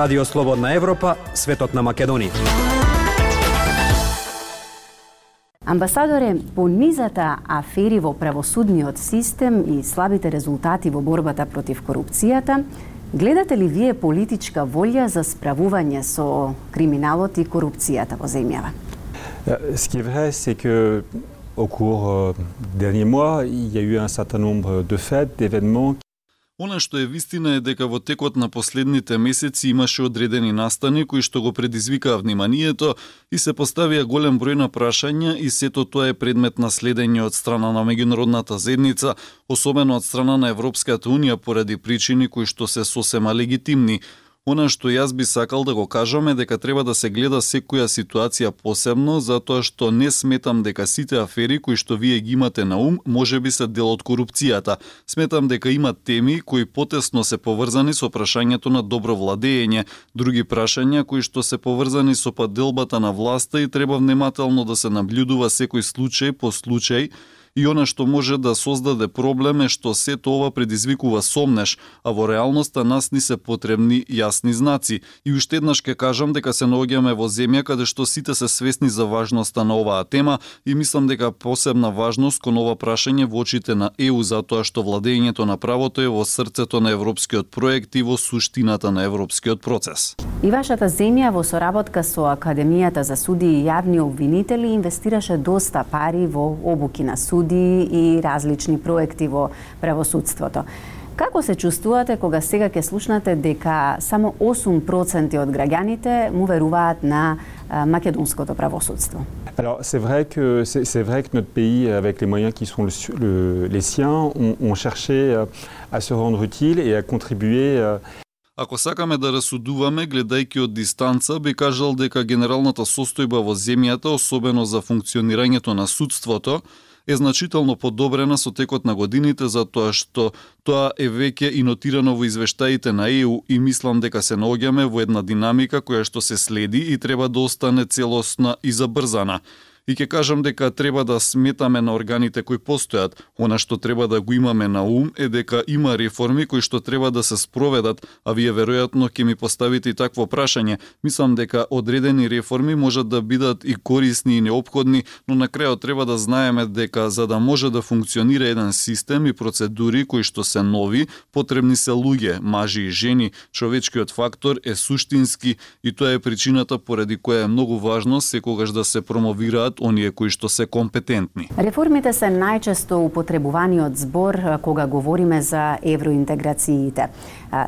Радио Слободна Европа, светот на Македонија. Амбасадоре, по низата афери во правосудниот систем и слабите резултати во борбата против корупцијата, гледате ли вие политичка волја за справување со криминалот и корупцијата во земјава? Ce qui est vrai, c'est que au cours des derniers mois, il y a eu un certain nombre de faits, d'événements. Она што е вистина е дека во текот на последните месеци имаше одредени настани кои што го предизвикаа вниманието и се поставија голем број на прашања и сето тоа е предмет на следење од страна на меѓународната заедница, особено од страна на Европската унија поради причини кои што се сосема легитимни. Она што јас би сакал да го кажам е дека треба да се гледа секоја ситуација посебно, затоа што не сметам дека сите афери кои што вие ги имате на ум можеби се дел од корупцијата. Сметам дека има теми кои потесно се поврзани со прашањето на добро владење, други прашања кои што се поврзани со поделбата на власта и треба внимателно да се наблюдува секој случај по случај. И она што може да создаде проблем е што сето ова предизвикува сомнеш, а во реалноста нас ни се потребни јасни знаци. И уште еднаш ке кажам дека се наоѓаме во земја каде што сите се свесни за важноста на оваа тема и мислам дека посебна важност кон ова прашање во очите на ЕУ затоа што владењето на правото е во срцето на европскиот проект и во суштината на европскиот процес. И вашата земја во соработка со Академијата за суди и јавни обвинители инвестираше доста пари во обуки на суди и различни проекти во правосудството. Како се чувствувате кога сега ќе слушнате дека само 8% од граѓаните му веруваат на македонското правосудство? Alors c'est vrai que notre pays, avec les moyens qui sont les siens, ont cherché à se rendre utile et à contribuer. Ако сакаме да расудуваме, гледајќи од дистанца, би кажал дека генералната состојба во земјата, особено за функционирањето на судството, е значително подобрена со текот на годините затоа што тоа е веќе и нотирано во извештаите на ЕУ и мислам дека се наоѓаме во една динамика која што се следи и треба да остане целосна и забрзана. И ќе кажам дека треба да сметаме на органите кои постојат. Она што треба да го имаме на ум е дека има реформи кои што треба да се спроведат, а вие веројатно ќе ми поставите и такво прашање. Мислам дека одредени реформи можат да бидат и корисни и неопходни, но на крајот треба да знаеме дека за да може да функционира еден систем и процедури кои што се нови, потребни се луѓе, мажи и жени. Човечкиот фактор е суштински и тоа е причината поради која е многу важно секогаш да се промовираат оние кои што се компетентни. Реформите се најчесто употребуваниот збор кога говориме за евроинтеграциите.